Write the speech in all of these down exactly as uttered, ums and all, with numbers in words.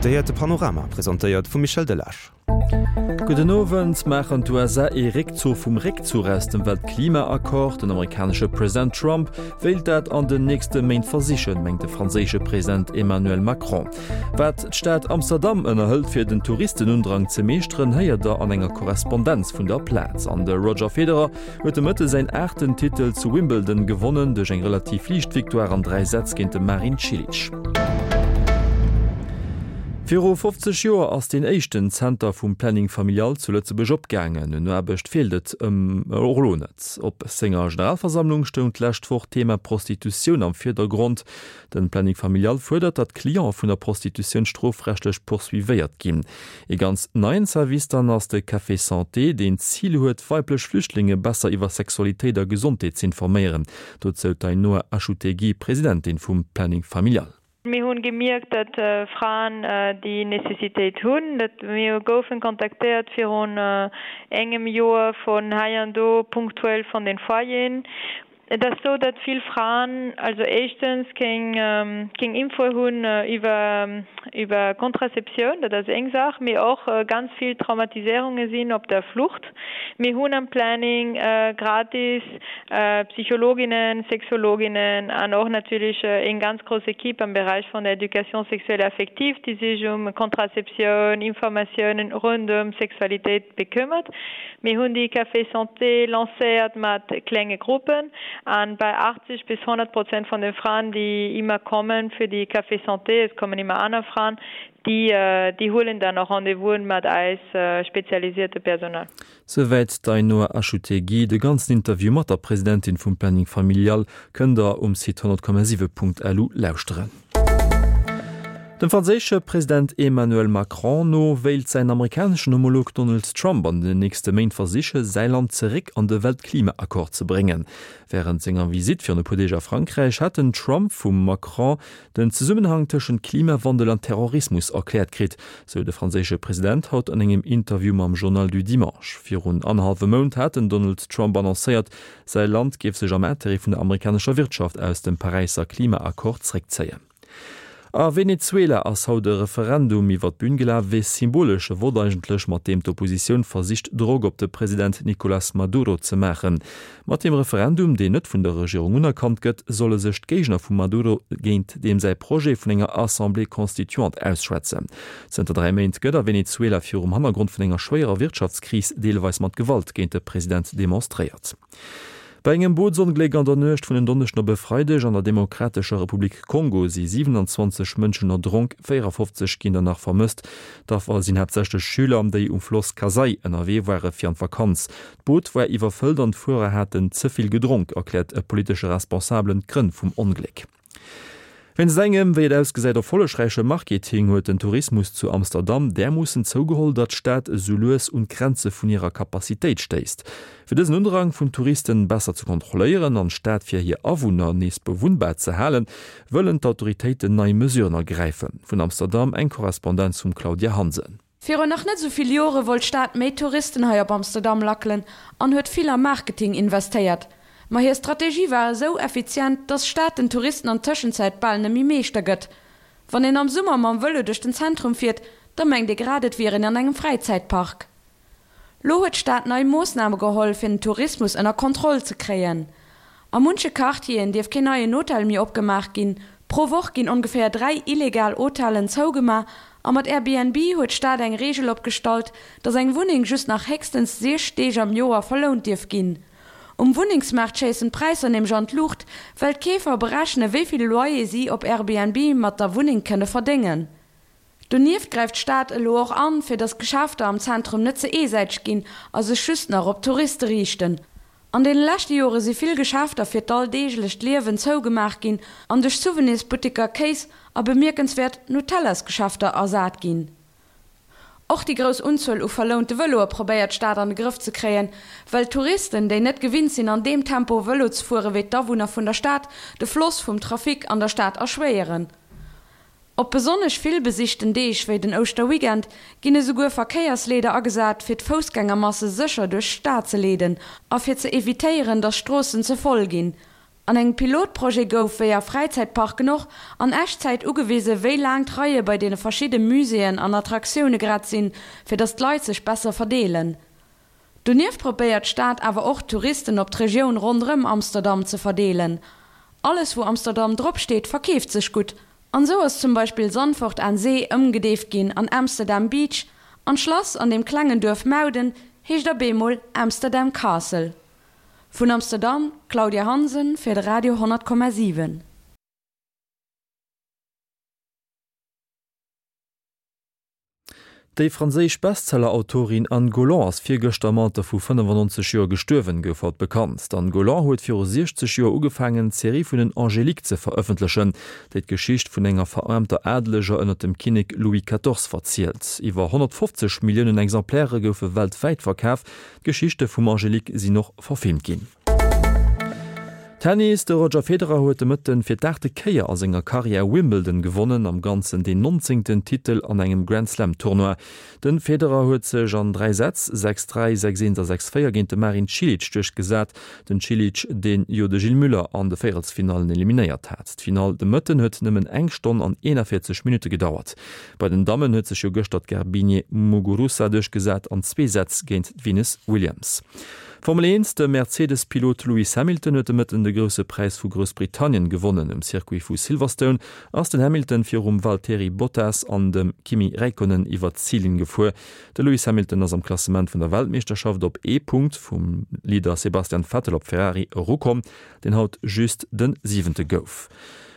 Dir héiert de Panorama, presentéiert vum Michel Delage. Gudden Owend. Maachen d'USA ee Réckzuch vum Réckzuch aus dem Weltklimaaccord? Den amerikanesche President Trump wéilt dat an den nächste Méint versichen, mengt de franséische President Emmanuel Macron. Wat d'Stad Amsterdam ënnerhëlt fir den Touristenundrang ze meeschteren, héiert der an enger Korrespondenz vun der Plaz. An de Roger Federer huet de Mëtte säin aachten Titel zu Wimbledon gewonnen, duerch eng relativ liicht Victoire an dräi Sätz géint de Marin Cilic. Viru fofzeg Joer ass deen éischten Zenter vum Planning Familial zu Lëtzebuerg opgaangen. Un Aarbecht feelt et ëm och elo net. Op senger Generalversammlung stoung d'lescht Woch d'Thema Prostitutioun am Virdergrond. Den Planning Familial fuerdert, datt Cliente vun der Prostitutioun strofrechtlech poursuivéiert ginn. Ee ganz neien Service dann ass de Café Santé, deen d'Zil huet, weiblech Flüchtlinge besser iwwer Sexualitéit a Gesondheet z'informéieren. Dozou d'Ainhoa Achutegui, Presidentin vum Planning Familial. Mir hunn gemierkt, datt Fraen déi Necessitéit hunn. Dat mir goufen kontaktéiert virun engem Joer vun hei an do punktuell vun den Foyeren. Et ass sou, datt vill Fraen also éischtens keng keng Info hunn iwwer iwwer Contraceptioun, dat ass eng Saach, mee och ganz vill Traumatiséierunge sinn op der Flucht. Mir hunn am Planning gratis Psychologinnen, Sexologinnen an och natierlech eng ganz grouss Equipe am Beräich vun der Éducation sexuelle et affective, déi sech um Contraceptioun, Informatiounen rondëm Sexualitéit bekëmmert. Mir hunn déi Café Santé lancéiert mat klenge Gruppen an bei achtzeg bis honnert Prozent vun de Fraen, déi ëmmer kommen fir déi Café Santé, es kommen ëmmer aner Fraen, déi déi huelen dann och Rendez-vousen mat eis spezialisierte Personal. Souwäit d'Ainhoa Achutegui. De ganzen Interview mat der Presidentin vum Planning Familial kënnt der um Site honnert Komma siwe Punkt lu lauschteren. Dem franséische President Emmanuel Macron no wéilt säin amerikaneschen Homolog Donald Trump an den nächste Méint versiche säi Land zeréck an de Weltklimaaccord ze bréngen. Wärend senger Visitt virun e puer Deeg a Frankräich hat den Trump vum Macron den Zesummenhang tëschent Klimawandel an Terrorismus erkläert kritt, sou de franséische President haut an engem Interview mam Journal du Dimanche. Virun annerhallwem Mount hat den Donald Trump annoncéiert, säi Land géif sech am Interêt vun der amerikanescher Wirtschaft aus dem Paräisser Klimaaccord zeréckzéien. A Venezuela ass haut e Referendum iwwer d'Bün gelaf, ee symbolesche Vott eigentlech, mat deem d'Oppositioun versicht Drock op de President Nicolas Maduro ze maachen. Mat deem Referendum, deen net vun der Regierung unerkannt gëtt, solle sech d'Géigner vum Maduro géint deem säi Projet vun enger Assemblée constituante ausschwätzen. Zënter dräi Méint gëtt a Venezuela virum Hannergrond vun enger schwéierer Wirtschaftskris deelweis mat Gewalt géint de President demonstréiert. Bei engem Bootsongléck an der Nuecht vun en Donneschden op e Freideg an der Demokratescher Republik Kongo si siwenanzwanzeg Mënschen erdronk, véierafofzeg ginn der nach vermësst. D'Affer sinn haaptsächlech Schüler, déi um Floss Kasai ënnerwee ware fir an d'Vakanz. D'Boot war iwwerfëllt an d'Fuerer haten ze vill gedronk, erkläert e politesche Responsabelen d'Grënn vum Ongléck. Wéinst engem, wéi et ausgesäit, erfollegräiche Marketing huet den Tourismus zu Amsterdam därmoossen zougeholl, datt d'Stad esou lues un d'Grenze vun hirer Capacitéit stéisst. Fir dësen Undrang vun Touristen besser ze kontrolléieren an d'Stad fir hir Awunner nees bewunnbar ze halen, wëllen d'Autoritéiten nei Mesuren ergräifen. Vun Amsterdam eng Korrespondenz vum Claudia Hansen. Virun nach net esou vill Jore wollt d'Stad méi Touristen hei op Amsterdam lackelen an huet vill a Marketing investéiert. Ma hir Strategie war esou effizient, dass d'Stad den Touristen an Tëschenzäit bal net méi Meeschter gëtt. Wann een am Summer mam Vëlo duerch den Zentrum fiert, da mengt ee grad et wier een an engem Fräizäitpark. Lo huet d'Stad nei Moossname geholl, fir den Tourismus ënner Kontroll ze kréien. A munche Quartieren dierf keen neien Hotel méi opgemaach ginn, pro Woch ginn ongeféier dräi illegal Hotellen zougemaach a mat Airbnb huet d'Stad eng Reegel opgestallt, dass eng Wunneng just nach héchstens siech Deeg am Joer verlount dierf ginn. Um Wunnengsmaart schéissen d'Präisser nämlech an d'Luucht, well d'Keefer berechne wéi vill Loyer si op Airbnb mat der Wunneng kënne verdéngen. Donieft gräift d'Stad elo och an, fir datt d'Geschäfter am Zentrum net ze eesäiteg ginn a sech just nach op Touriste riichten. An deene leschte Jore si vill Geschäfter fir d'alldeeglecht Liewen zougemaach ginn an duerch Souvenirsbutteker, Kéis a bemierkenswäert Nutellasgeschäfter ersat ginn. Och déi grouss Unzuel u verlounte Vëloe probéiert d'Stad an de Grëff ze kréien, well Touristen, déi net gewinnt sinn an deem Tempo Vëlo ze fuere wéi d'Awunner vun der Stad, de Floss vum Trafic an der Stad erschwéieren. Op besonnesch vill besichten Deeg wéi den Ouschterweekend ginn esouguer Verkéiersleeder agesat, fir d'Foussgängermasse sécher duerch d'Stad ze leeden a fir ze evitéieren, datt d'Stroossen ze voll ginn. An engem Pilotprojet gouf, wéi a Fräizäitparken och, an Echtzäit ugewise wéi laang d'Reie bei deene verschidde Muséeën an Attraktioune grad sinn, fir datt d'Leit sech besser verdeelen. Donieft probéiert d'Stad awer och d'Touristen op d'Regioun ronderëm Amsterdam ze verdeelen. Alles wou Amsterdam drop steet verkeeft sech gutt, an sou ass zum Beispill Zandvoort aan Zee ëmgedeeft ginn an Amsterdam Beach, an d'Schlass an dem klengen Duerf Muiden heescht op eemol Amsterdam Castle. Vun Amsterdam, Claudia Hansen fir de Radio honnert Komma siwen. Déi franséisch Bestseller-Autorin Anne Golland ass virgëschter am Alter vu fënnefannonzeg Joer gestuerwen, gouf haut bekannt. D'Anne Golland huet viru siechzeg Joer ugefaangen, d'Serie vun den Angéliques ze verëffentlechen, déi d'Geschicht vun enger veraarmter Adeleger ënner dem Kinnek Louis quatorze verzielt. Iwwer honnertfofzeg Milliounen Exemplaire goufe weltwäit verkaf. D'Geschichte vum Angélique sinn och verfilmt ginn. Tennis, De Roger Federer huet de Mëtten fir d'aachte Kéier a senger Karriär Wimbledon gewonnen, am Ganzen deen nonzéngten Titel an engem Grand-Slam-Tournoi. De Federer huet sech an dräi Sätz, sechs dräi, sechs eent a sechs véier, géint de Marin Cilic duerchgesat. Den Cilic, deen jo de Gilles Müller an de Véierelsfinallen eliminéiert hat. D'Finall de Mëtten huet nëmmen eng Stonn an eenanvéierzeg Minutte gedauert. Bei den Dammen huet sech jo gëschter d'Garbiñe Muguruza duerchgesat an zwee Sätz géint d'Venus Williams. Formel eent, De Mercedes-Pilot Lewis Hamilton huet de Mëtten de Grousse Präis vu Groussbritannien gewonnen. Um Circuit vu Silverstone ass den Hamilton virum Valtteri Bottas an dem Kimi Räikkönen iwwer d'Zillinn gefuer. De Lewis Hamilton ass am Klassement vun der Weltmeeschterschaft op ee Punkt vum Leader Sebastian Vettel op Ferrari erukomm, deen haut just de Siwente gouf.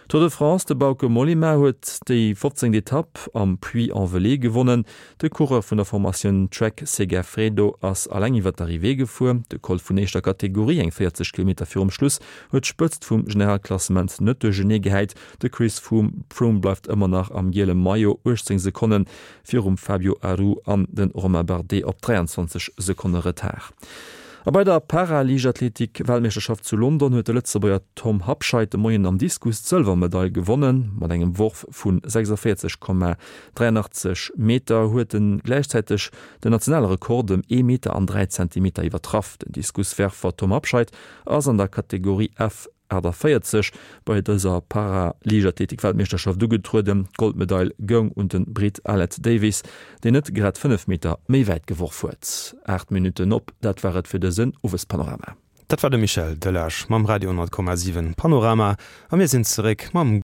Tour de France, De Bauke Mollema huet déi fofzéngt Etapp am Puy-en-Velay gewonnen. De Coureur vun der Formatioun Trek Segafredo ass alleng iwwer d'Arrivée gefuer. De Col vun éischter Kategorie, eng véierzeg Kilometer virum Schluss, huet d'Spëtzt vum Generalklassement net duerchenee gehäit. De Chris Froome bleift ëmmer nach am giele Maillot, uechtzéng Sekonne virum Fabio Aru an de Romain Bardet op dräianzwanzeg Sekonne Retard. A bei der Para-Liichtathletik-Weltmeeschterschaft zu London huet de Lëtzebuerger Tom Habscheid de Moien am Diskus d'Sëlwermedail gewonnen. Mat engem Worf vu sechsavéierzeg Komma dräianachtzeg Meter huet en gläichzäiteg den nationale Rekord ëm ee Meter an dräi Zentimeter iwwertraff. Den Diskuswerfer Tom Habscheid ass an der Kategorie F achtaviertzeg bei dëser Para-Liichtathletik-Weltmeeschterschaft ugetrueden. D'Goldmedail goung un de Brit Aled Davies, deen net grad fënnef Meter méi wäit geworf huet. Aacht Minutten op, dat war et fir dësen Owespanorama. Dat war de Michel Delage mam Radio honnert Komma siwen Panorama a mir sinn zeréck mam.